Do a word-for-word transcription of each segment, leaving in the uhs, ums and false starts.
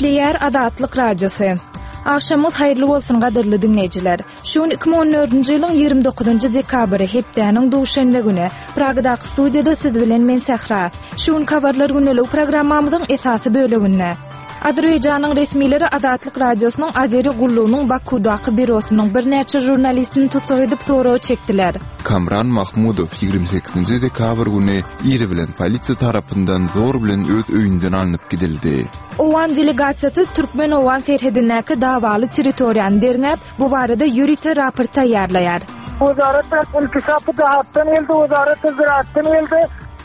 Gepleýär Azatlyk Radiosy. Agşamyňyz haýyrly bolsun gadyrly diňleýjiler. Şu gün iki müň on dördünji ýylyň ýigrimi dokuzynjy dekabry, hepdäniň duşenbe güni. Pragadaky studiýada siz bilen men Sähra. Şu gün habarlar gündeligi programmamyzyň esasy böleginde. Azerbaýjanyň resmileri Azatlyk Radiosynyň Azeri gullugynyň Bakudaky bürosynyň birnäçe žurnalistini tussag edip soraga çekdiler. Kamran Mahmudow ýigrimi sekizinji dekabr güni iri bilen polisiýa tarapyndan zor bilen öz öýünden alnyp gidildi. Owgan delegasiýasy Türkmen-Owgan serhedindäki dawaly territoriýany derňäp, bu barada ýörite raport taýýarlaýar. Wezaret inkişafy dahatdan geldi, wezaret ziraatdan geldi.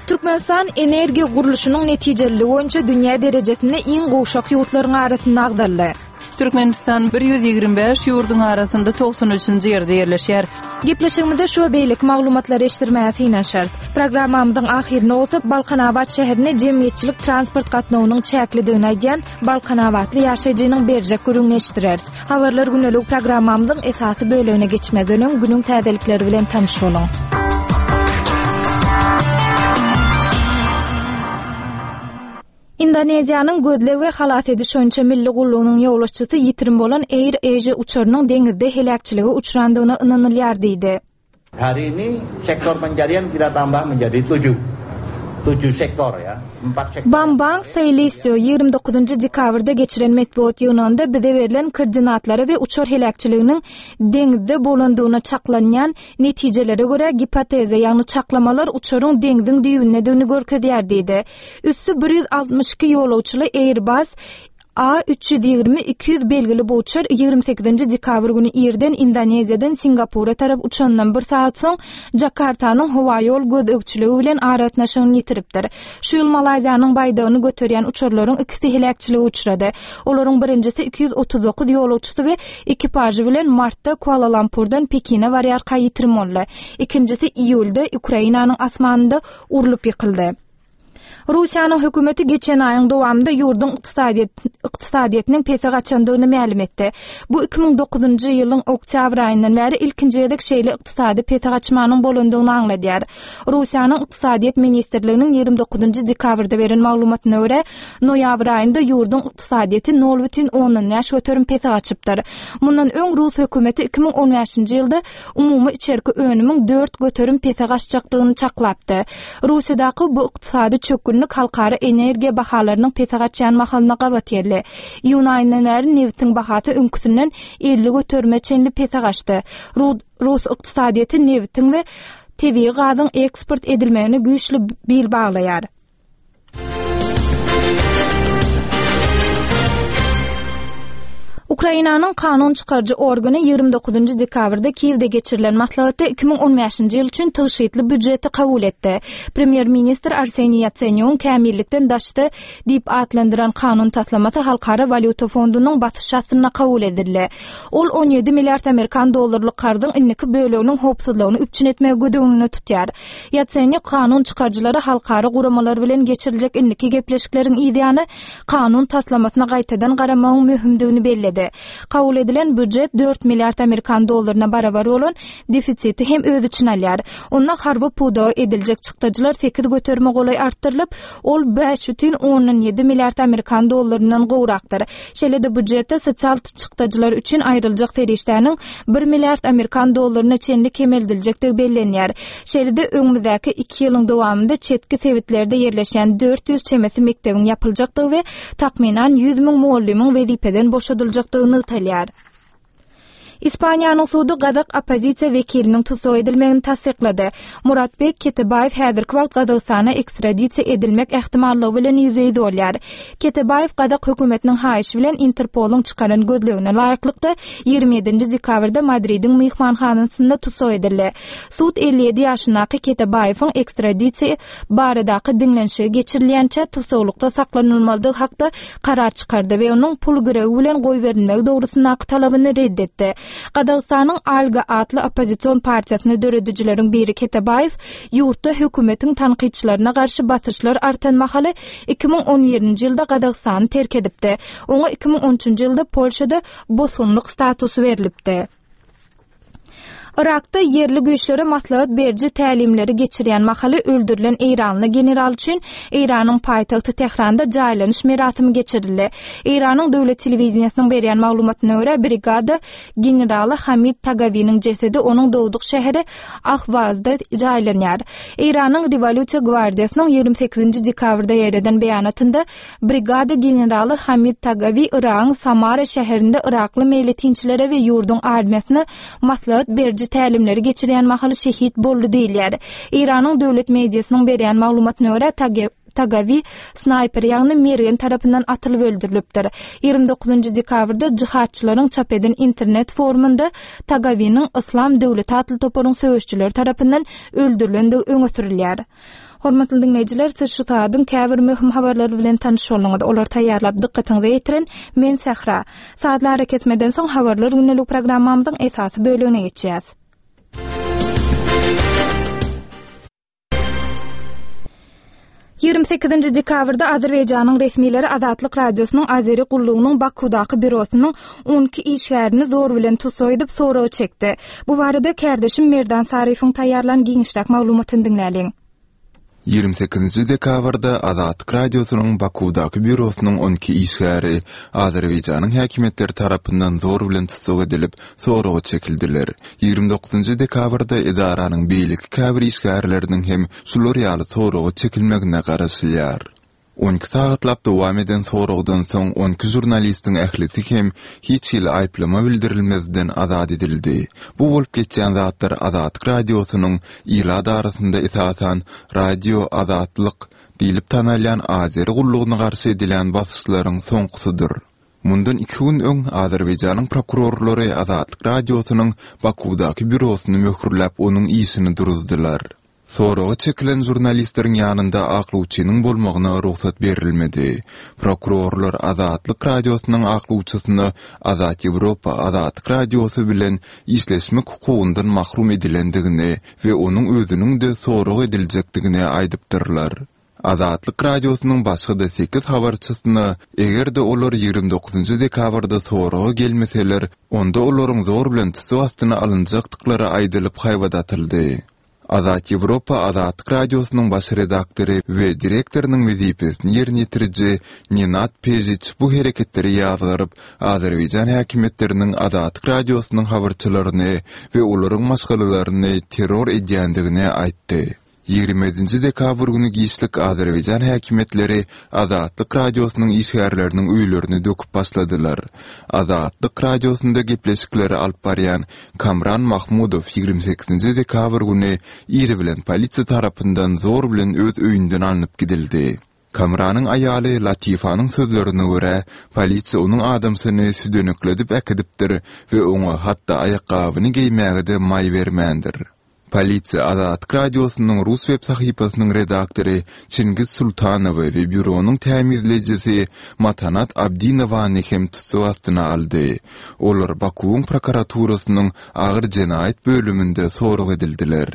Türkmenistan energiýa gurluşynyň netijeliligi boýunça dünýä derejesinde iň gowşak ýurtlaryň arasynda agzaldy. Türkmenistan bir ýüz ýigrimi bäş ýurduň arasynda togsan üçünji ýerde ýerleşýär. Gepleşigimizde şu we beýleki maglumatlary eşitdirmäge synanyşarys. Programmamyzyň ahyrynda bolsa Balkanabat şäherinde jemgyýetçilik transport gatnawynyň çäklidigini aýdýan Balkanabatly ýaşaýjynyň berjek gürrüňini eşitdireris. Habarlar gündelik programmamyzyň esasy bölegine geçmezden öň günüň täzelikleri bilen tanyş boluň. Indoneziýanyň gözleg we halas ediş boýunça milli gullugynyň ýolbaşçysy ýitirim bolan Air Asia uçarynyň deňizde heläkçilige uçrandygyna ynanylýar diýdi. Hari ini sektor pencarian kita tambah menjadi tujuh. Tujuh sektor ya. Empat sektor. Bambang Soelistýo ýigrimi dokuzynjy dekabrda geçiren metbugat ýygnagynda bize berlen koordinatlara we uçar heläkçiliginiň deňizde bolandygyna çaklanýan netijelere görä gipoteza, ýagny çaklamalar uçaryň deňziň düýbündedigini görkezýär diýdi. Üsti bir ýüz altmyş iki ýolagçyly Airbus A üç ýüz ýigrimi iki ýüz belgili bu uçar ýigrimi sekizinji dekabr güni irden Indoneziýadan Singapura tarap uçandan bir sagat soň Jakartanyň howaýol gözegçiligi bilen aragatnaşygyny ýitiripdir. Şu ýyl Malaýziýanyň baýdagyny göterýän uçarlaryň ikisi heläkçilige uçrady. Olaryň birinjisi iki ýüz otuz dokuz ýolagçysy we ekipažy bilen martda Kuala-Lumpurdan Pekine barýarka ýitirim boldy. Ikinjisi iýulda Ukrainanyň asmanynda urlup ýykyldy. Russiýanyň hökümeti geçen aýyň dowamynda ýurduň ykdysadyýet, ykdysadyýetiniň pese gaçandygyny mälim etdi. Bu iki müň dokuzynjy ýylyň oktýabr aýyndan bäri ilkinji gezek şeýle ykdysady pese gaçmanyň bolandygyny aňladýar. Russiýanyň Ykdysadyýet ministrliginiň ýigrimi dokuzynjy dekabrda beren maglumatyna görä, noýabr aýynda ýurduň ykdysadyýeti nol bütin ondan bäş göterim pese gaçypdyr. Mundan öň Rus hökümeti iki müň on bäşinji ýylda umumy içerki önümiň dört göterim pese gaçjakdygyny çaklapdy. Russiýadaky bu ykdysady çökgünlik halkara energiýa bahalarynyň pese gaçýan mahalyna gabat geldi. Iýun aýyndan bäri nebitiň bahasy öňküsinden elli göterime çenli pese gaçdy. Ru-, Rus ykdysadyýeti nebitiň we tebigy gazyň eksport edilmegine güýçli bil baglaýar. Ukrainanyň kanun çykaryjy organy ýigrimi dokuzynjy dekabrda Kiýewde geçirilen maslahatda iki müň on bäşinji ýyl üçin tygşytly býujeti kabul etdi. Premýer-ministr Arseniý Ýatsenýugyň kämillikden daşda diýip atlandyran kanun taslamasy Halkara walýuta fondunyň basyş astynda kabul edildi. Ol on ýedi milliard amerikan dollarlyk karzyň indiki böleginiň howpsuzlygyny üpjün etmegi göz öňünde tutýar. Ýatsenýuk kanun çykaryjylary halkara guramalar bilen geçiriljek indiki gepleşikleriň ýany kanun taslamasyna gaýtadan garamagyň möhümdigini belledi. Kabul edilen býujet dört milliard amerikan dollaryna barabar bolan defisiti hem öz içine alýar. Onda harby pudaga ediljek çykdajylar sekiz göterime golaý artdyrylyp, ol bäş bütin ondan ýedi milliard amerikan dollaryndan gowrakdyr. Şeýle-de býujetde sosial çykdajylar üçin aýryljak serişdäniň bir milliard amerikan dollaryna çenli kemeldiljekdigi bellenýär. Şeýle-de öňümizdäki iki ýylyň dowamynda çetki sebitlerde ýerleşýän dört ýüz çemesi mekdebiň ýapyljakdygy we takmynan ýüz müň mugallymyň wezipeden boşadyljakdygy nygtalýar. Ispaniýanyň sudy gazak oppozisiýa wekiliniň tussag edilmegini tassyklady. Muratbek Ketebaýew häzirki wagt Gazagystana ekstradisiýa edilmek ähtimallygy bilen ýüzbe-ýüz bolýar. Ketebaýew gazak hökümetiniň haýyşy bilen Interpoluň çykaran gözlegine laýyklykda ýigrimi ýedinji dekabrda Madridiň myhmanhanasynda tussag edildi. Sud elli ýedi ýaşyndaky Ketebaýewiň ekstradisiýa baradaky diňlenişigi geçirilýänçä tussaglykda saklanylmalydygy hakda karar çykardy we onuň pul girewi bilen goýberilmegi dogrusyndaky talabyny red etdi. Gazagystanyň Alga atly oppozision partiýasyny döredijileriň biri Ketebaýew ýurtda hökümetiň tankytçylaryna garşy basyşlar artan mahaly iki müň on birinji ýylda Gazagystany terk edipdi. Oňa iki müň on üçünji ýylda Polşada bosgunlyk statusy berilipdi. Yrakda ýerli güýçlere maslahat beriji tälimleri geçirýän mahaly öldürilen eýranly general üçin Eýranyň paýtagty Tähranda jaýlanyş merasimi geçirildi. Eýranyň döwlet telewideniýesiniň berýän maglumatyna görä, brigada generaly Hamid Tagawiniň jesedi onuň dogduk şäheri Ahwazda jaýlanýar. Eýranyň Rewolýusiýa gwardiýasynyň ýigrimi sekizinji dekabrda ýaýradan beýanatynda brigada generaly Hamid Tagawi Yragyň Samara şäherinde yrakly meýletinçilere we ýurduň armiýasyna maslahat beriji tälimleri geçirýän mahaly şehit boldy diýilýär. Eýranyň döwlet mediasynyň berýän maglumatyna görä, Tagawi snaýper, ýagny mergen tarapyndan atylyp öldürilipdir. Ýigrimi dokuzynjy dekabrda jihadçylaryň çap eden internet forumynda Tagawiniň Yslam döwleti atly toparyň söweşçileri tarapyndan öldürilendigi öňe sürülýär. Hormatly diňleýjiler, siz şu saadyň käbir möhüm habarlary bilen tanyş bolduňyz. Olary taýýarlap dykgatyňyza ýetiren men Sähra. Saatlar ara kesmeden soň habarlar gündelik programmamyzyň esasy bölegine geçýäs. Ýigrimi sekizinji dekabrda Azerbaýjanyň resmileri Azatlyk Radiosynyň Azeri gullugynyň Bakudaky bürosynyň on iki işgärini zor bilen tussag edip soraga çekdi. Bu barada kärdeşim Merdan Saryýewiň taýýarlan giňişräk maglumatyny diňläliň. Ýigrimi sekizinji dekabrda Azatlyk Radiosynyň Bakudaky bürosynyň on iki işgäri Azerbaýjanyň häkimiýetleri tarapyndan zor bilen tussag edilip, soraga çekildiler. Ýigrimi dokuzynjy dekabrda edaranyň beýleki käbir işgärleriniň hem şular ýaly soraga çekilmegine garaşylýar. On iki sagatlap dowam eden soragdan soň on iki žurnalistiň ählisi hem hiç hili aýyplama bildirilmezden azat edildi. Bu bolup geçýän zatlar Azatlyk Radiosynyň ilat arasynda esasan Radio Azatlyk diýlip tanalýan Azeri gullugyna garşy edilen basyşlaryň soňkusydyr. Mundan iki gün öň Azerbaýjanyň prokurorlary Azatlyk Radiosynyň Bakudaky bürosyny möhürläp onuň işini duruzdylar. Soraga çekilen žurnalistleriň ýanynda aklawçynyň bolmagyna rugsat berilmedi. Prokurorlar Azatlyk Radiosynyň aklawçysyna Azat Ýewropa Azatlyk Radiosy bilen işleşmek hukugyndan mahrum edilendigini we onuň özüniň-de sorag ediljekdigini aýdypdyrlar. Azatlyk Radiosynyň başga-da sekiz habarçysyna eger-de olar ýigrimi dokuzynjy dekabrda soraga gelmeseler, onda olaryň zor bilen tussag astyna alynjakdyklary aýdylyp haýbat atyldy. Azat Ýewropa Azatlyk Radiosynyň baş redaktory we direktorynyň wezipesini ýerine ýetiriji Nenad Pejiç bu hereketleri ýazgaryp, Azerbaýjan häkimiýetleriniň Azatlyk Radiosynyň habarçylaryny we olaryň maşgalalaryny terror edýändigini aýtdy. Ýigrimi ýedinji dekabr güni giçlik Azerbaýjan häkimiýetleri Azatlyk Radiosynyň işgärleriniň öýlerini döküp başladylar. Azatlyk Radiosynda gepleşikleri alyp barýan Kamran Mahmudow ýigrimi sekizinji dekabr güni iri bilen polisiýa tarapyndan zor bilen öz öýünden alnyp gidildi. Kamranyň aýaly Latifanyň sözlerine görä, polisiýa onuň adamsyny südenekledip äkidipdir we oňa hatda aýakgabyny geýmäge-de maý bermändir. Polisiýa Azatlyk Radiosynyň rus web sahypasynyň redaktory Çingiz Sultanowy we býuronyň tämizlejisi Matanat Abdinowany hem tussag astyna aldy. Olar Bakuwyň prokuraturasynyň agyr jenaýat bölüminde sorag edildiler.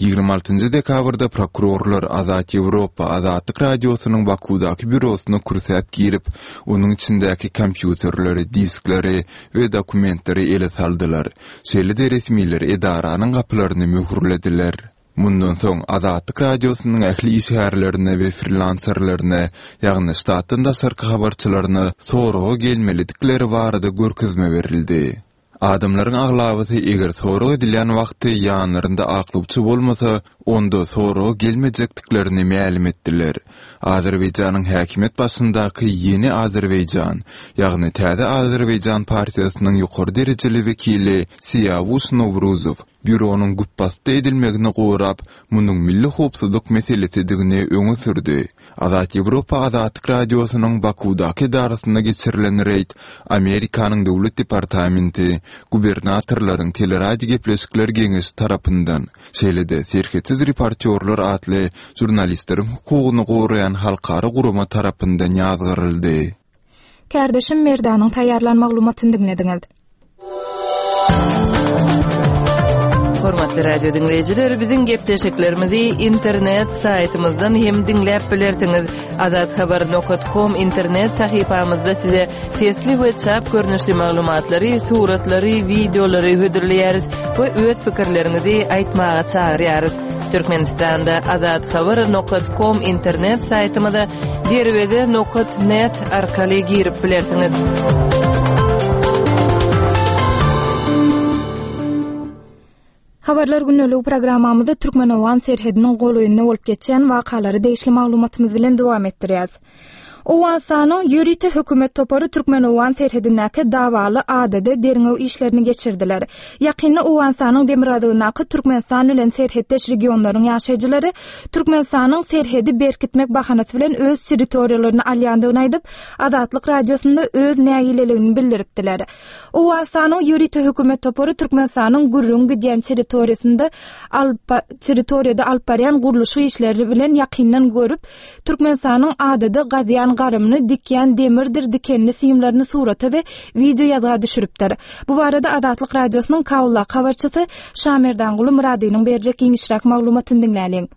Ýigrimi altynjy dekabrda prokurorlar Azat Ýewropa Azatlyk Radiosynyň Bakudaky býurosyna kürsäp girip, onuň içindäki kompýuterleri, diskleri we dokumentleri ele saldylar. Şeýle-de resmiler edaranyň gapylaryny möhürlediler. Mundan soň Azatlyk Radiosynyň ähli işgärlerine we frilanserlerine, ýagny ştatdan daşarky habarçylaryna soraga gelmelidikleri barada görkezme berildi. Adamlaryň aglabasy eger sorag edilýän wagty ýanlarynda aklawçy bolmasa, onda soraga gelmejekdiklerini mälim etdiler. Azerbaýjanyň häkimiýet başyndaky Ýeni Azerbaýjan, ýagny Täze Azerbaýjan partiýasynyň ýokary derejeli wekili Siýawuş Nowruzow býuronyň güpbasdy edilmegini gorap, munuň milli howpsuzlyk meselesidigini öňe sürdi. Azat Ýewropa Azatlyk Radiosynyň Bakudaky edarasynda geçirilen reýd Amerikanyň Döwlet departamenti, gubernatorlaryň teleradio gepleşikler geňeşi tarapyndan, şeýle-de Serhetsiz reportýorlar atly žurnalistleriň hukugyny goraýan halkara gurama tarapyndan ýazgaryldy. Kärdeşim Merdanyň taýýarlan maglumatyny diňlediňiz. Hormatly radio diňleýjiler, biziň gepleşiklerimizi internet saýtymyzdan hem diňläp bilersiňiz. Azathabar nokta com internet sahypamyzda size sesli we çap görnüşli maglumatlary, suratlary, wideolary hödürleýäris we öz pikirleriňizi aýtmaga çagyrýarys. Türkmenistanda azathabar nokta com internet saýtymyza derweze nokta net arkaly girip bilersiňiz. Habarlar günlük programmamyzda Türkmen-Owgan serhediniň golaýynda bolup geçen wakalary degişli maglumatymyz bilen dowam etdirýäris. Owganystanyň ýörite hökümet topary Türkmen-Owgan serhedindäki dawaly adada derňew işlerini geçirdiler. Ýakynda Owganystanyň demirgazygyndaky Türkmenistan bilen serhetdeş regionlaryň ýaşaýjylary Türkmenistanyň serhedi berkitmek bahanasy bilen öz territoriýalaryny alýandygyny aýdyp, Azatlyk radiosynda öz nägileligini bildiripdiler. Owganystanyň ýörite hökümet topary Türkmenistanyň gürrüň gidýän territoriýasynda alyp territoriýada alyp barýan gurluşyk işleri bilen ýakyndan görüp, Türkmenistanyň adada gazýan garymyny dikýän demirdir dikenli simlerini surata we video ýazga düşüripdir. Bu barada Azatlyk radiosynyň Kabulda habarçysy Şamerdanguly Muradynyň berjek giňişräk maglumatyny diňläliň.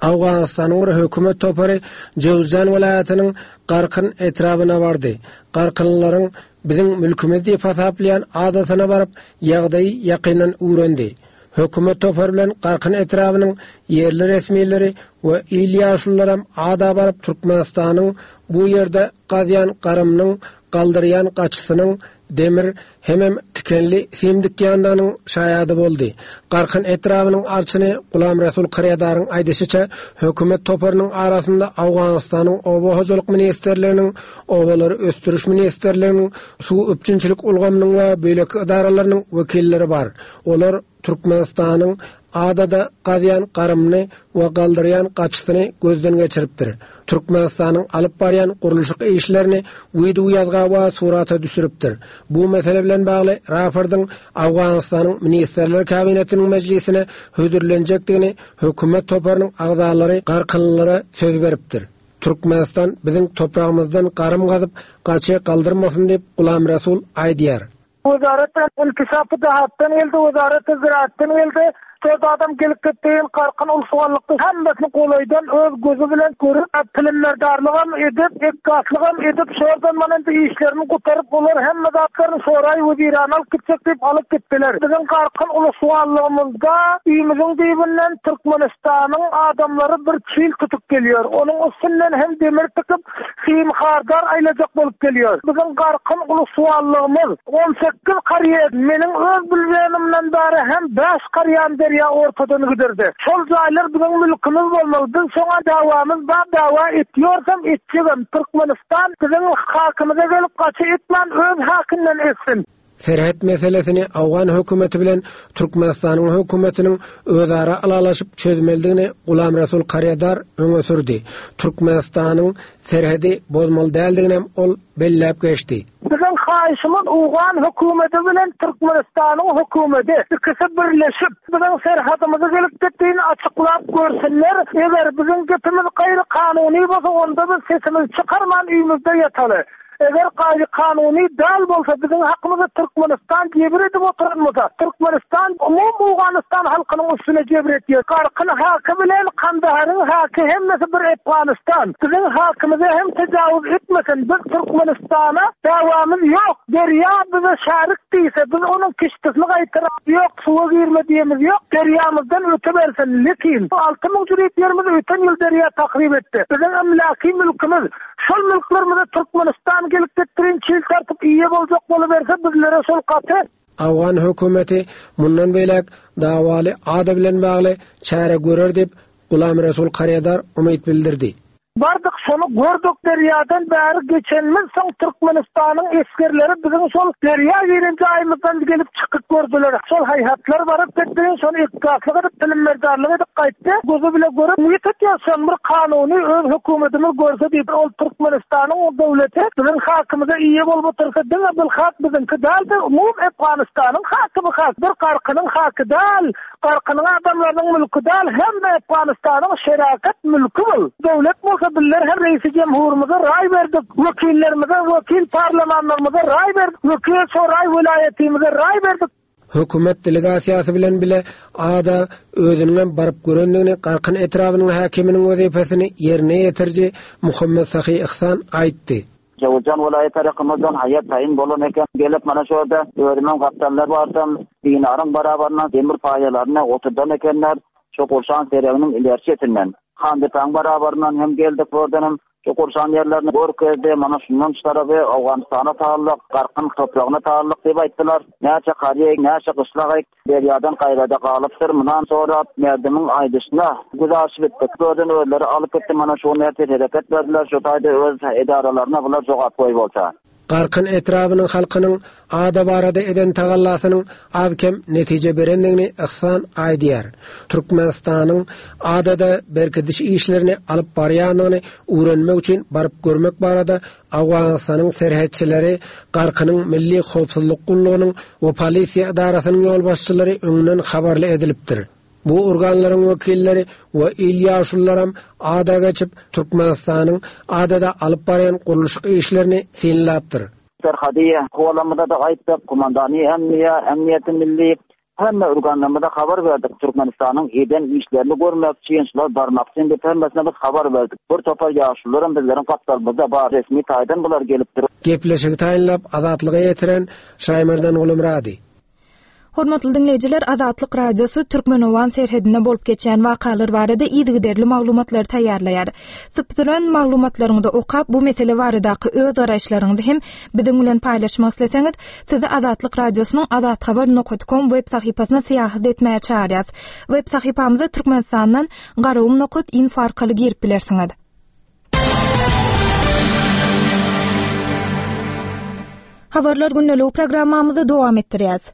Awganystanyň bir hökümet topary Jowzjan welaýatynyň Garkyn etrabyna bardy. Garkynlylaryň biziň mülkümiz diýip hasaplaýan adasyna baryp, ýagdaýy ýakyndan öwrendi. Hökümet topary bilen Garkyn etrabynyň ýerli resmileri we il ýaşulularam ada baryp Türkmenistanyň bu ýerde gazýan garymynyň galdyrýan gaçysynyň demir hemem tikenli sim dikýandygynyň şaýady boldy. Garkyn etrabynyň arçyny Gulam Resul Karýadaryň aýdyşyça hökümet toparynyň arasynda Awganystanyň Oba hojalyk ministrliginiň, Obalary ösdüriş ministrliginiň, suw üpjünçilik ulgamynyň we beýleki edaralarynyň wekilleri bar. Olar Türkmenistanyň adada gazýan garymyny we galdyrýan gaçysyny gözden geçiripdir. Türkmenistanyň alyp barýan gurluşyk işlerini video ýazga we surata düşüripdir. Bu mesele bilen bagly raportyň Awganystanyň Ministrler Kabinetiniň mejlisine hödürlenjekdigini hökümet toparynyň agzalary garkynlylara söz beripdir. Türkmenistan biziň topragymyzdan garym gazyp gaçy galdyrmasyn diýip Gulam Resul aýdýar. Wezaret inkişafy dahatdan geldi, wezaret ziraatdan geldi. Dört adam gelip gitdi, Garkyn ulsuganlykda hemmesini golaýdan öz gözü bilen görüp, pilimlerdarlygam edip, ekgaslygam edip, şordan mana indi işlerini gutaryp, olar hemme zatlaryny soraý wezirany alyp gitjek diýip alyp gitdiler. Biziň Garkyn ulsuganlygymyzda üýmüziň diýibinden Türkmenistanyň adamlary bir çil tutup geliyor. Onuň üstünden hem demir tikip, sim hardar aýlajak bolup geliyor. Biziň Garkyn ulsuganlygymyz on sekiz karýer, meniň öz bilýänimden bäri hem bäş karýan derýa ortadan gidirdi. Şol jaýlar biziň mülkümüz bolmaly. Biz şoňa dawamyz bar, dawa etýorsam etjegem. Türkmenistan biziň hakymyza gelip gaçy etmän öz hakyndan etsin. Serhet meselesini Awgan hökümeti bilen Türkmenistanyň hökümetiniň özara ylalaşyp çözmeldigini Gulam Resul Karýadar öňe sürdi. Türkmenistanyň serhedi bozmaly däldigini hem ol belläp geçdi. Biziň haýyşymyz Owgan hökümeti bilen Türkmenistanyň hökümeti ikisi birleşip biziň serhedimizi gelip gitdiğini açyklap görsünler. Eger biziň gepimiz gaýry kanuny bolsa onda biz sesimizi çykarman üýümizde ýataly. Eger gaýry kanuny däl bolsa biziň hakymyzy Türkmenistan jebir edip oturan bolsa, Türkmenistan umum Owganystan halkynyň üstüne jebir etýär. Garkyn haky bilen Kandaharyň haky hemmesi bir Afganistan. Biziň hakymyza hem tejawüz etmesin. Biz Türkmenistana dawamyz ýok. Derýa bize şarik diýse, biz onuň kiştisini gaýtaryp ýok, suwa girme diýemiz ýok. Derýamyzdan öte bersin. Lekin alty müň jürit ýerimiz öten ýyl derýa tahrip etdi. Biziň emlaki mülkümüz, şol mülklerimize Türkmenistan gelip gitdirin çil tartyp iýe boljak boluberse bizlere şol gaty. Awgan hökümeti mundan beýläk dawaly ada bilen bagly çäre görer diýip Gulam Resul Karýadar umyt bildirdi. Bardyk şonu gördük derýadan bäri geçenimiz soň Türkmenistanyň esgerleri biziň şol derýa giren jaýymyzdan gelip çykyp gördüler. Şol haýhatlar baryp gitdi, şony iktisatlyk edip, bilimlerdarlyk edip gaýtdy. Gözü bile görüp, niýet etýär, şol bir kanuny öz hökümetimiz görse diýip, ol Türkmenistanyň o döwleti biziň hakymyza eýe bolup otursa, diňe bir hak biziňki däldi, umum Afganistanyň haky bu hak, bir Garkynyň haky däl, Garkynyň adamlarynyň mülki däl, hem Afganistanyň şerakat mülki bul. Döwlet bolsa bizler her reisi cemhurumuza ray verdik, vekillerimize, vekil parlamanlarımıza ray verdik, vekil soray vilayetimize ray verdik. Hökümet delegasiýasy bilen bile ada özüniň baryp görendigini Garkyn etrabynyň häkiminiň wezipesini ýerine ýetiriji Muhammet Sahy Ihsan aýtdy. Jowzjan welaýat tarapymyzdan haýat taýyn bolan eken. Gelip mana şu ýerde özümiň gapdallar bardym. Binaryň barabaryndan demir paýalaryny oturdan ekenler. Şu gurşan sereginiň ileri çetinden. Handepaň barabaryndan hem geldik oradan şu gurşan ýerlerini görkezdi. Mana şundan şu tarapy Owganystana taglyk, Garkyn topragyna taglyk diýip aýtdylar. Näçe karýa, näçe gyşlak derýadan gaýrada galypdyr. Mundan sonra merdimin aýdyşyna güzaşyp etdik. Gördün özleri alyp gitdi. Mana şu näçe hereket berdiler. Şu taýda öz edaralaryna bular jogap goý bolsa. Garkyn etrabynyň halkynyň ada barada eden tagallasynyň az kem netije berendigini Ihsan aýdýar. Türkmenistanyň adada berkidiş işlerini alyp barýandygyny öwrenmek üçin baryp görmek barada Owganystanyň serhetçileri Garkynyň Milli Howpsuzlyk gullugynyň we polisiýa edarasynyň ýolbaşçylary öňünden habarly edilipdir. Bu organlaryň wekilleri we il ýaşulularam ada geçip Türkmenistanyň adada alyp barýan gurluşyk işlerini synlapdyr. Serhadiye kovalamada da aýtdyk, komandany emniýe, emniýeti milli hemme organlarymyza habar berdik. Türkmenistanyň eden işlerini görmek üçin, şular barmak üçin diýip hemmesine biz habar berdik. Bir topar ýaşulularam bizleriň gapdalymyzda bar, resmi taýdan bular gelipdir. Gepleşigi taýynlap Azatlyga ýetiren Şaýmerdan Gulumrady. Hormatly dinleýjiler, Azatlyk Radiosy Türkmen-Owgan serhedinde bolup geçen wakalar barada yzygiderli maglumatlary taýýarlaýar. Sypdyran maglumatlaryňyzy okap, bu mesele baradaky öz garaýyşlaryňyzy hem biziň bilen paýlaşmak isleseňiz, sizi Azatlyk Radiosynyň azathabar nokta com web sahypasyna syýahat etmäge çagyrýarys. Web sahypamyza Türkmenistandan garagum nokta info arkaly girip bilersiňiz. Habarlar günlük programmamyzy dowam etdirýäs.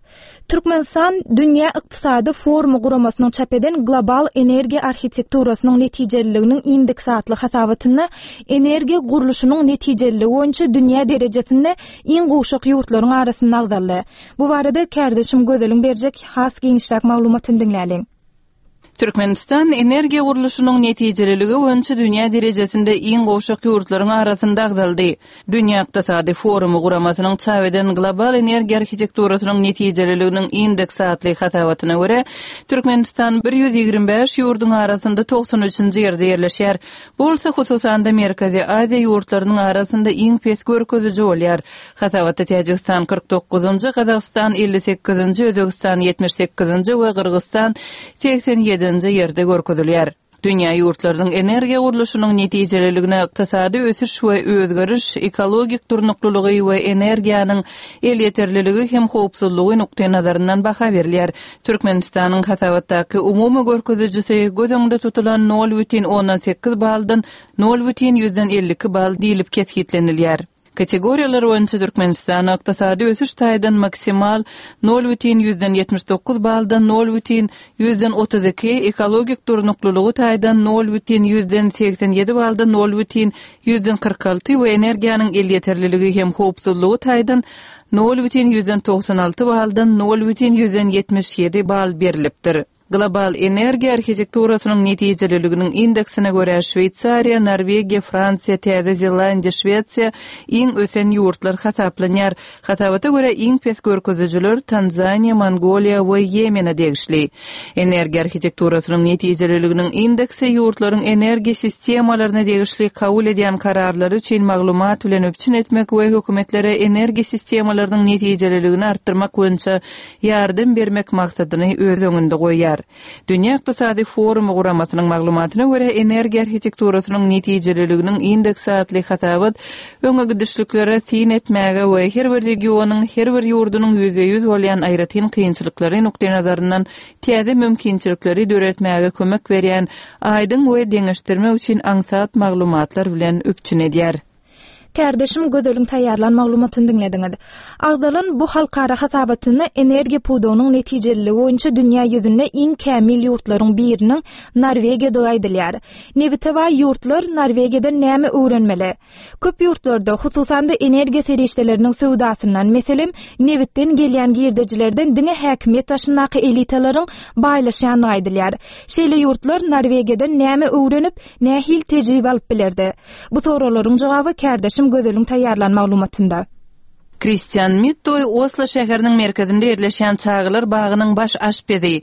Türkmenistan Dünýä Ykdysady Forumy guramasynyň çap eden Global Energiýa Arhitekturasynyň netijeliliginiň indeksi atly hasabatynda energiýa gurluşynyň netijeliligi boýunça dünýä derejesinde iň gowşak ýurtlaryň arasynda agzaldy. Bu barada kärdeşim Gözeliň berjek has giňişräk maglumatyny diňläliň. Türkmenistan energiýa gurluşynyň netijeliligi boýunça dünýä derejesinde iň gowşak ýurtlaryň arasynda agzaldy. Dünýä Ykdysady Forumy guramasynyň çap eden Global Energiýa Arhitekturasynyň netijeliliginiň indeksi atly hasabatyna görä, Türkmenistan bir ýüz ýigrimi bäş ýurduň arasynda togsan üçünji ýerde ýerleşýär. Bu bolsa hususan-da Merkezi Aziýa ýurtlarynyň arasynda iň pes görkeziji bolýar. Hasabatda Täjigistan kyrk dokuzynjy, Gazagystan elli sekizinji, Özbegistan ýetmiş sekizinji we Gyrgyzystan segsen ýedinji ýerde görkezilýär. Dünýä ýurtlarynyň energiýa gurluşynyň netijeliligine ykdysady ösüş we özgeriş, ekologik durnuklylygy we energiýanyň elýeterliligi hem howpsuzlygy nukdaý nazaryndan baha berilýär. Türkmenistanyň hasabatdaky umumy görkezijisi göz öňünde tutulan nol bütin ondan sekiz baldan nol bütin ýüzden elli iki bal diýlip kesgitlenilýär. Kategoriýalar boýunça Türkmenistan ykdysady ösüş taýdan maksimal nol bütin ýüzden ýetmiş dokuz baldan nol bütin ýüzden otuz iki, ekologik durnuklylygy taýdan nol bütin ýüzden segsen ýedi baldan nol bütin ýüzden kyrk alty we energiýanyň elýeterliligi hem howpsuzlygy taýdan nol bütin ýüzden togsan alty baldan nol bütin ýüzden ýetmiş ýedi bal berilipdir. Global energiýa arhitekturasynyň netijeliliginiň indeksine görä Şweýsariýa, Norwegiýa, Fransiýa, Täze Zelandiýa, Şwesiýa iň ösen ýurtlar hasaplanýar. Hasabata görä iň pes görkezijiler Tanzaniýa, Mongoliýa we Ýemene degişli. Energiýa arhitekturasynyň netijeliliginiň indeksi ýurtlaryň energiýa sistemalaryna degişli kabul edýän kararlary üçin maglumat bilen üpjün etmek we hökümetlere energiýa sistemalarynyň netijeliligini artdyrmak boýunça ýardam bermek maksadyny öz öňünde goýýar. Dünýä Ykdysady Forumy guramasynyň maglumatyna görä energiýa arhitekturasynyň netijeliliginiň indeksi atly hasabat öňe gidişliklere syn etmäge we her bir regionyň, her bir ýurdunyň ýüzbe ýüz bolýan aýratyn kynçylyklary nukdaý nazaryndan täze mümkinçilikleri döretmäge kömek berýän aýdyň we deňeşdirmek üçin aňsat maglumatlar bilen üpjün edýär. Kärdeşim Gözeliň taýýarlan maglumatyny diňlediňiz. Agzalan bu halkara hasabatynda energiýa pudagynyň netijeliligi boýunça dünýä ýüzünde iň kämil ýurtlaryň biriniň Norwegiýadygy aýdylýar. Nebite baý ýurtlar Norwegiýadan näme öwrenmeli? Köp ýurtlarda, hususan-da energiýa serişdeleriniň söwdasyndan, meselem, nebitden gelýän girdejilerden diňe häkimiýet başyndaky elitalaryň baýlaşýandygy aýdylýar. Şeýle ýurtlar Norwegiýadan näme öwrenip, nähili tejribe alyp bilerdi? Bu soraglaryň jogaby kärdeşim Gözeliň taýýarlan maglumatynda. Kristian Mittoý Oslo şäheriniň merkezinde ýerleşýän çagalar bagynyň baş aşpezi.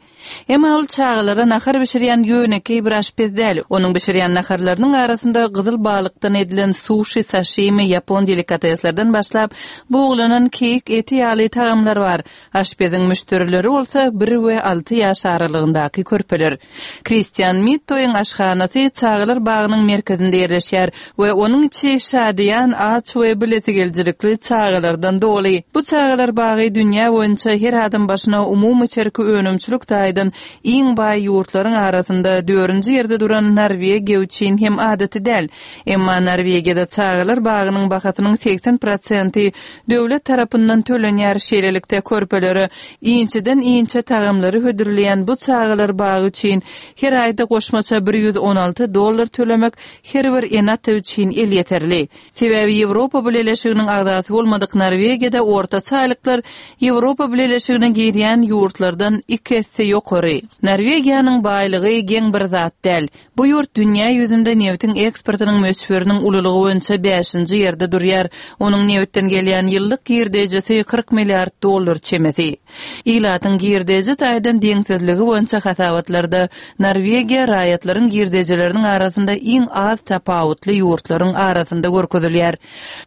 Emma ol çagalara nahar bişirýän ýönekeý bir aşpez däl. Onuň bişirýän naharlarynyň arasynda gyzyl balykdan edilen suşi, saşimi, ýapon delikateslerden başlap, buglanan keýik eti ýaly tagamlar bar. Aşpeziň müşderileri bolsa bir we alty ýaş aralygyndaky körpeler. Kristian Mittoýyň aşhanasy çagalar bagynyň merkezinde ýerleşýär we onuň içi şadyýan, aç we bilesigelijilikli çagalardan doly. Bu çagalar bagy dünýä boýunça her adam başyna umumy içerki önümçilik taýdan iň baý ýurtlaryň arasynda dördünji ýerde duran Norwegiýa üçin hem adaty däl. Emma Norwegiýada çagalar bagynyň bahasynyň segsen prosenti döwlet tarapyndan tölenýär. Şeýlelikde körpelere inçeden inçe tagamlary hödürleýän bu çagalar bagy üçin her aýda goşmaça bir ýüz on alty dollar tölemek her bir ene-ata üçin elýeterli. Sebäbi Ýewropa Bileleşiginiň agzasy bolmadyk Norwegiýada ortaça aýlyklar Ýewropa Bileleşigine girýän ýurtlardan iki esse ýokary. Norwegiýanyň baýlygy geň bir zat däl. Bu ýurt dünýä ýüzünde nebitiň eksportynyň möçberiniň ululygy boýunça bäşinji ýerde durýar. Onuň nebitden gelýän ýyllyk girdejisi kyrk milliard dollar çemesi. Ilatyň girdeji taýdan deňsizligi boýunça hasabatlarda Norwegiýa raýatlaryň girdejileriniň arasynda iň az tapawutly ýurtlaryň arasynda görkezilýär.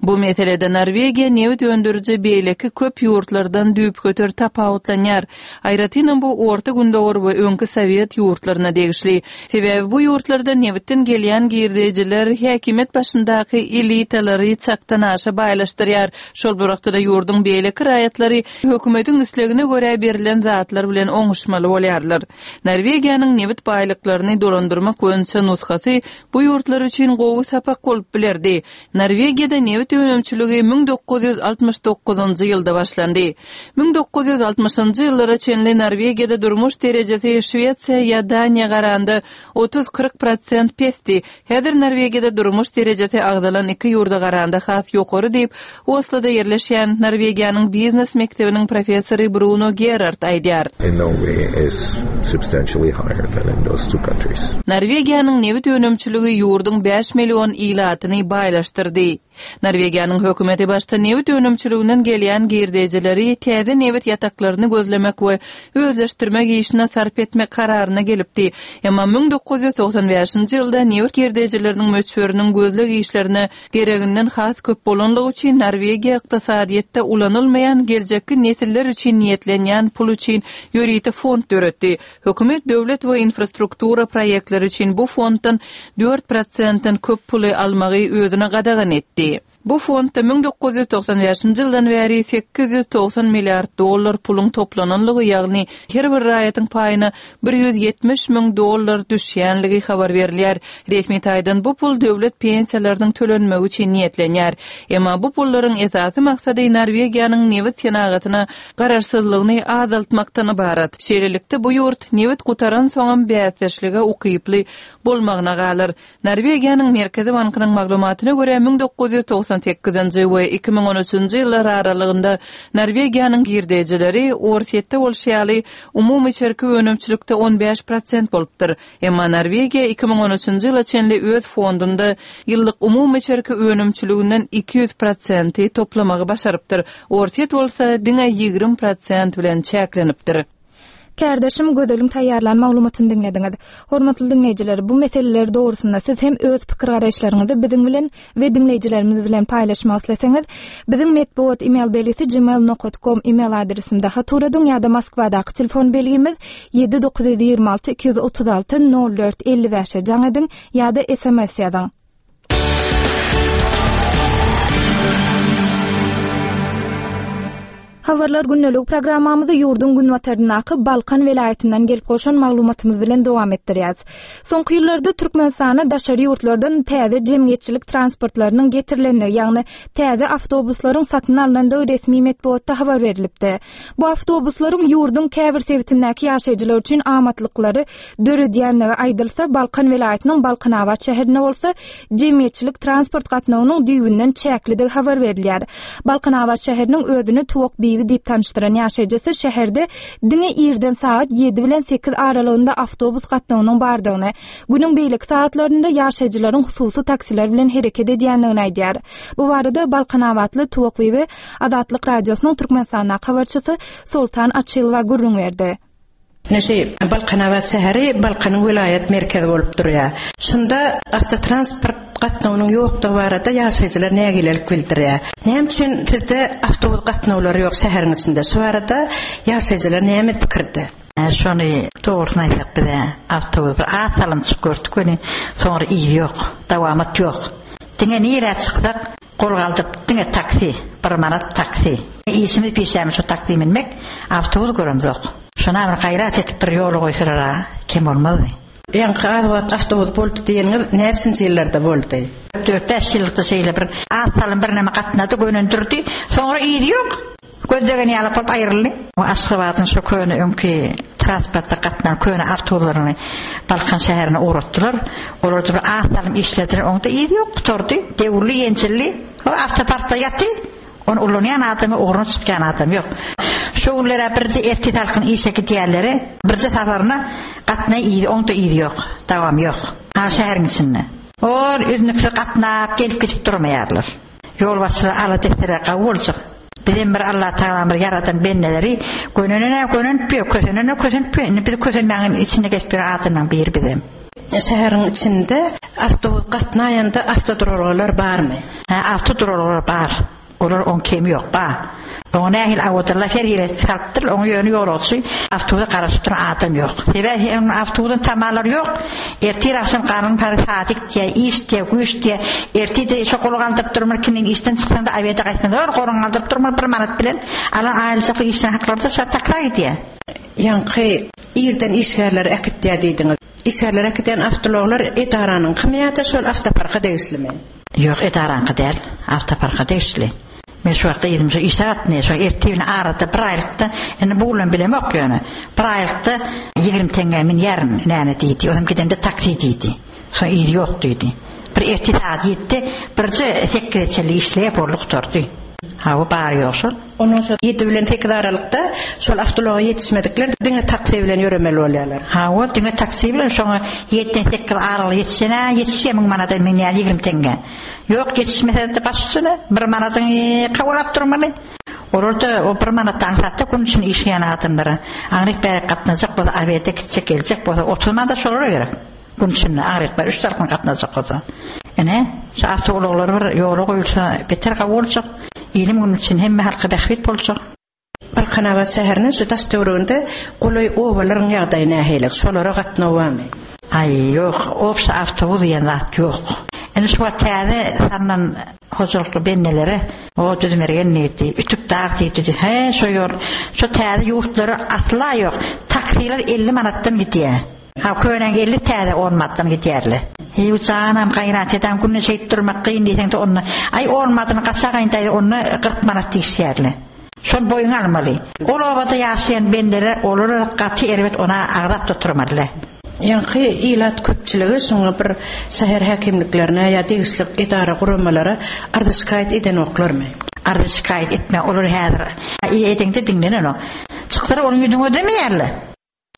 Bu meselede Norwegiýa nebit öndüriji beýleki köp ýurtlardan düýpgöter tapawutlanýar. Aýratynam bu Orta Gündogar we öňki Sowet ýurtlaryna degişli. Sebäbi bu ýurtlarda nebitden gelýän girdejiler häkimiýet başyndaky elitalary çakdan aşa baýlaşdyrýar. Şol bir wagtda ýurduň beýleki raýatlary hökümetiň islegine görä berilen zatlar bilen oňuşmaly bolýarlar. Norwegiýanyň nebit baýlyklaryny dolandyrmak boýunça nusgasy bu ýurtlar üçin gowy sapak bolup bilerdi. Norwegiýada nebit önümçiligi müň dokuz ýüz altmyş dokuzynjy ýylda başlandy. Müň dokuz ýüz altmyşynjy ýyllara çenli Norwegiýada durmuş derejesi Şwesiýa ýa Daniýa garanda otuz-kyrk prosent pesdi. Häzir Norwegiýada durmuş derejesi agzalan iki ýurda garanda has ýokary diýip, Osloda ýerleşýän Norwegiýanyň biznes mekdebiniň professory Bruno Gerard aýdýar. In Norway is substantially higher than in those two countries. Norwegiýanyň nebit önümçiligi ýurduň bäş million ilatyny baýlaşdyrdy. Norwegiýanyň hökümeti başda nebit önümçiliginden gelýän girdejileri täze nebit ýataklaryny gözlemek we özleşdirmek işine sarp etmek kararyna gelipdi. Emma müň dokuz ýüz togsan bäşinji ýylda nebit girdejileriniň möçberiniň gözleg işlerine gereginden has köp bolanlygy üçin Norwegiýa ykdysadyýetde ulanylmaýan geljekki nesiller üçin niýetlenýän pul üçin ýörite fond döretdi. Hökümet döwlet we infrastruktura proýektleri üçin bu fonddan dört prosentden köp puly almagy özüne gadagan etdi. Bu fondda müň dokuz ýüz togsan bäşinji ýyldan bäri sekiz ýüz togsan milliard dollar puluň toplananlygy, ýagny her bir raýatyň paýyna bir ýüz ýetmiş müň dollar düşýänligi habar berilýär. Resmi taýdan bu pul döwlet pensiýalarynyň tölenmegi üçin niýetlenýär. Emma bu pullaryň esasy maksady Norwegiýanyň nebit senagatyna garaşsyzlygyny azaltmakdan ybarat. Şeýlelikde bu ýurt nebit gutaran soňam bäsdeşlige ukyply bolmagyna galar. Norwegiýanyň Merkezi bankynyň maglumatyna görä müň dokuz ýüz togsan sekizinji we iki müň on üçünji ýyllar aralygynda Norwegiýanyň girdejileri Orsýetde bolşy ýaly umumy içerki önümçilikde on bäş prosent bolupdyr. Emma Norwegiýa iki müň on üçünji ýyla çenli öz fondunda ýyllyk umumy içerki önümçiliginden iki ýüz prosenti toplamagy başarypdyr. Orsýet bolsa diňe ýigrimi prosent bilen çäklenipdir. Kärdeşim Gözeliň taýýarlan maglumatyny diňlediňiz. Hormatly diňleýjiler, bu meseleler dogrusynda siz hem öz pikir garaýyşlaryňyzy biziň bilen we diňleýjilerimiz bilen paýlaşmak isleseňiz, biziň metbugat e-mail belgisi gmail nokta com e-mail adresinde hat uradyň ýa-da Moskwadaky telefon belgimiz ýedi dokuz ýüz ýigrimi alty iki ýüz otuz alty nol dört elli bäşe jaň ediň ýa-da S M S ýazyň. Habarlar gündelik programmamyzy ýurduň günbataryndaky Balkan welaýatyndan gelip goşan maglumatymyz bilen dowam etdirýäris. Soňky ýyllarda Türkmenistana daşary ýurtlardan täze jemgyýetçilik transportlarynyň getirilendigi, ýagny täze awtobuslaryň satyn alnandygy resmi metbugatda habar berilipdi. Bu awtobuslaryň ýurduň käbir sebitindäki ýaşaýjylar üçin amatlyklary döredýändigi aýdylsa, Balkan welaýatynyň Balkanabat şäherinde bolsa jemgyýetçilik transport gatnawynyň düýbünden çäklidigi habar berilýär. Balkanabat şäheriniň özüni Tuwak Bibi Tuwakbibi diýip tanyşdyran ýaşaýjysy şäherde diňe irden sagat ýedi bilen sekiz aralygynda awtobus gatnawynyň bardygyny, günüň beýleki sagatlarynda ýaşaýjylaryň hususy taksiler bilen hereket edýändigini aýdýar. Bu barada Balkanabatly Tuwakbibi Azatlyk Radiosynyň Türkmenistandaky habarçysy Soltan Açylowa gürrüň berdi. Neşe Balkanabat şäheri Balkanyň welaýat merkezi bolup durýar. Şunda awtotransport gatnawynyň ýokdugy barada ýaşaýjylar nägilelik bildirýär. Näme üçin sizde awtobus gatnawlary ýok şäheriň içinde? Şu barada ýaşaýjylar näme pikirde? Şony dogrusyny aýtsak bize awtobus bir az salym çykyp gördük welin, soňra yzy ýok, dawamat ýok. Diňe nirä çyksak gol galdyryp diňe taksi, bir manat taksi. Işimiz pişämiz şu taksi minmek, awtobus göremzok. Şona bir gaýrat edip bir ýoly goýsalar kem bolmazdy. Ýaňky az wagt awtobus boldy diýeniňiz näçinji ýyllarda boldy? Dört bäş ýyllykda şeýle bir az salym birneme gatnady, gönendirdi. Soňra yzy ýok. Gözlegen ýaly bolup aýryldy. O Aşgabadyň şu köne öňki transportda gatnan köne awtobuslaryny Balkan şäherine ugratdylar. Olar bir az salym işlediler, oňda yzy ýok, gutardy. Dewurly, ýençilli. O awtoparkda ýaty. Onu ulanýan adamy, ugruna çykýan adam ýok. Şu günlere birje erti salkyn işe gidýärleri, birje safaryna gatnaý yzy, oňda yzy ýok, dawam ýok. Ha şäheriň içinde. Or üznüksiz gatnap gelip gidip durmaýarlar. Ýolbaşçylar ala destere gawy boljak. Bizem bir Allah Tagalam bir ýaradan bendeleri gönenene gönenip ýok, kösenene kösenip ýok. Indi biz kösenmäniň içinde geçip bir adamdan biri bizem. Şäheriň içinde awtobus gatnaýanda awtoduralgalar barmy? Ha, awtoduralgalar bar. Olar on kemi ýok, ba. Oňa nähili awodyrlar her ýere salypdyr, oňa ýöne ýolagçy awtobusa garaşyp duran adam ýok. Sebäbi onuň awtobusyň tamalary ýok. Ertir agşam galyň pary sadyk diýe, iş diýe, güýç diýe. Ertir de şo gol galdyryp durmur, kimin işden çyksaň da awede gaýtsaň da goruň galdyryp durmur bir manat bilen alan aýlyjakly işden haklarda şo takra gidýär. Ýaňky irden işgärleri äkitýär diýdiňiz. Işgärler äkidýän awtologlar edaranyň kimi ýa-da şol awtoparka degişlimi? Ýok, edaranyňky däl, awtoparka degişli. Men şu wagtda ýedim şu işe gatnaýar, şu ertebini arada bir aýlykda, indi bu bilen bilemok ýöne. Bir aýlykda ýigrimi teňňe minýärin näme diýdi. Ozum gidende taksi diýdi. Soň yzy ýok diýdi. Bir erti saat ýetdi, birje sekize çenli işleýär, boldy gutardy. Ha, bu bar ýok şol. Ondan soň ýedi bilen sekiz aralykda şol awtologa ýetişmedikler diňe taksi bilen ýöremeli bolýarlar. Ha, o diňe taksi bilen şoňa ýediden sekiz aralyk ýetişene, ýetişýär müň manada minýär ýigrimi teňňe. Ýok, ýetişmese de baş üstüne bir manadyň kawalap durmaly. Olar da o bir manatdan satda gün üçin işleýän adamlara. Aňryk bärik gatnajak bolsa, awede gitjek, geljek bolsa, otuz manat şolara gerek. Gün üçin aňryk bärik üç tarapdan gatnajak bolsa. Ene, şu awtoulaglar bir ýola goýulsa, beter gawy boljak. Ilim gün üçin hemme halka bähbit boljak. Balkanabat şäheriniň şu daş töwereginde golaý obalaryň ýagdaýy nähili? Şolara gatnaw barmy? Aý, ýok, obşa awtobus diýen zat ýok. Indi şu wagt täze salnan hojalykly bendelere o düzmergen diýdi, ütük dag diýdi. He, şo ýol, şo täze ýurtlara asla ýok. Taksiler elli manatdan gidýär. Ha, köneň elli täze on manatdan gidýärler. Heý, janam gaýrat eden gününe şeýtip durmak kyn diýseň de onda, aý on manadyny gaça gaýyndaýdy, onda kyrk manat diýişýärler. Şol boýun almaly. Ol obada ýaşaýan bendelere olara gaty erbet ona agzap oturmaly. Ýaňky ilat köpçüligi şoňa bir şäher häkimliklerine ýa degişli edara guramalara arza şikaýat edenoklarmy? Arza şikaýat etme, olar häzir edeňde diňlenenok. Çyksalar onuň ýüzüni ödemeýärler.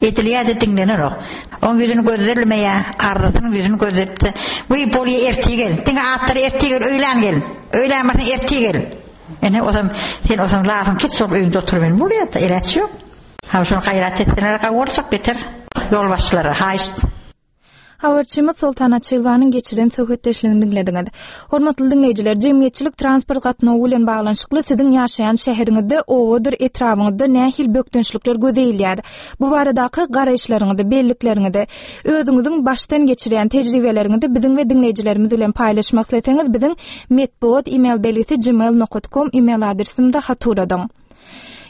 Edilýär-de diňlenenok. Onuň ýüzüni gözlenmeýär, arzasynyň ýüzüni gözletdi. Wiý, bolýa ertir gel. Diňe atlary ertir gel, öýlän gel. Öýlän barsaň ertir gel. Ene osam sen osam lafyň keç bolup öýüňde oturmaýyn bolýar-da, eläç ýok. Ha, şony gaýrat etseler gawy boljak beter. Ýolbaşçylara haýyşt. Habarçymyz Soltan Açylwanyň geçiren söhbetdeşligini diňlediňiz. Hormatly diňleýjiler, jemgyýetçilik transport gatnawy bilen baglanyşykly siziň ýaşaýan şäheriňizde, owadyr etrabyňyzda nähili bökdençlikler göze ilýär? Bu baradaky garaýyşlaryňyzy, bellikleriňizi, özüňiziň başdan geçirýän tejribeleriňizi biziň we diňleýjilerimiz bilen paýlaşmak isleseňiz, biziň metbugat e-mail belgisi gmail nokta com e-mail adresimizde hat uradyň.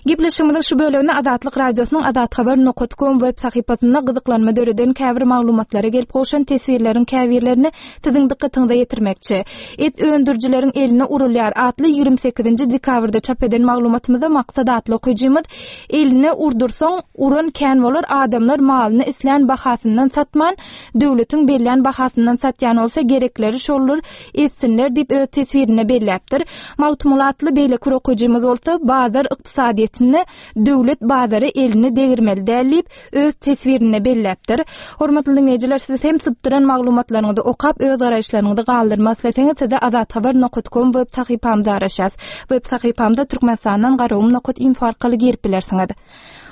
Gepleşigimiziň şu bölegini Azatlyk Radiosynyň Azathabar nokat kom web sahypasynda gyzyklanma döreden käbir maglumatlara gelip gowşan teswirleriň käbirlerini siziň dykgatyňyza ýetirmekçi. Et öndürijileriň eline urulýar atly ýigrimi sekizinji dekabrda çap eden maglumatymyzda Maksat atly okyjymyz eline urdursaň uran kän bolar, adamlar malyny islän bahasyndan satman, döwletiň bellän bahasyndan satýan bolsa gerekleri şoldur etsinler diýip öz teswirinde belläpdir. Magtymguly atly beýleki okyjymyz bolsa bazar ykdysadyýetinde döwlet bazary elini degirmeli däl diýip öz teswirinde belläpdir. Hormatly dinleýjiler, siz hem sypdyran maglumatlaryňyzy okap öz garaýyşlaryňyzy galdyrmak isleseňiz size azathabar nokat kom web sahypamyza araşýas. Web sahypamyza Türkmenistandan garagum nokat info arkaly girip bilersiňiz.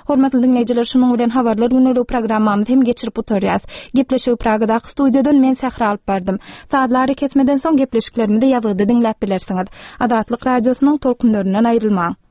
Hormatly dinleýjiler, şunuň bilen habarlar günlük programmamyzy hem geçirip oturýas. Gepleşigi Pragadaky studiýadan men Sähra alyp bardym. Saatlar kesmeden soň gepleşiklerimizi ýazgyda diňläp bilersiňiz. Azatlyk radiosynyň tolkunlaryndan aýrylmaň.